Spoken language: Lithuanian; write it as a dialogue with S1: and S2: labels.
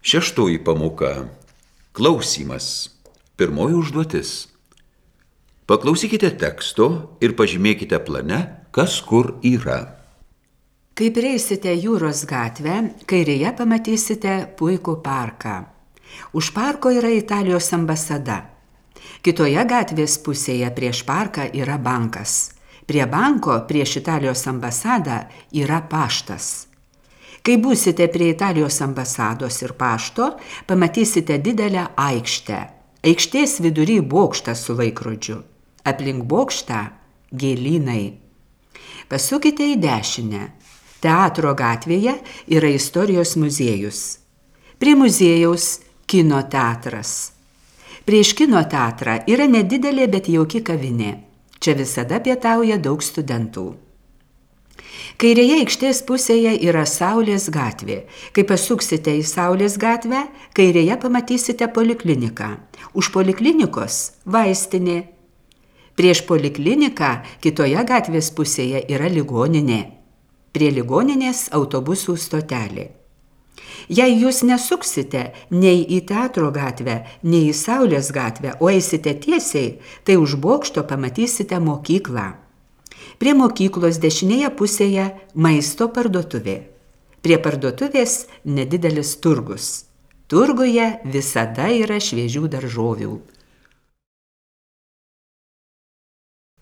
S1: Šeštoji pamoka. Klausymas. Pirmoji užduotis. Paklausykite teksto ir pažymėkite plane, kas kur yra.
S2: Kai prieisite Jūros gatvę, kairėje pamatysite puikų parką. Už parko yra Italijos ambasada. Kitoje gatvės pusėje prieš parką yra bankas. Prie banko prieš Italijos ambasadą yra paštas. Kai būsite prie Italijos ambasados ir pašto, pamatysite didelę aikštę. Aikštės vidury bokštas su laikrodžiu. Aplink bokštą gėlynai. Pasukite į dešinę. Teatro gatvėje yra istorijos muziejus. Prie muziejaus kino teatras. Prieš kino teatrą yra nedidelė, bet jauki kavinė. Čia visada pietauja daug studentų. Kairėje aikštės pusėje yra Saulės gatvė. Kai pasuksite į Saulės gatvę, kairėje pamatysite polikliniką. Už poliklinikos vaistinė. Prieš polikliniką kitoje gatvės pusėje yra ligoninė. Prie ligoninės autobusų stotelė. Jei jūs nesuksite nei į Teatro gatvę, nei į Saulės gatvę, o eisite tiesiai, tai už bokšto pamatysite mokyklą. Prie mokyklos dešinėje pusėje maisto parduotuvė. Prie parduotuvės nedidelis turgus. Turguje visada yra šviežių daržovių.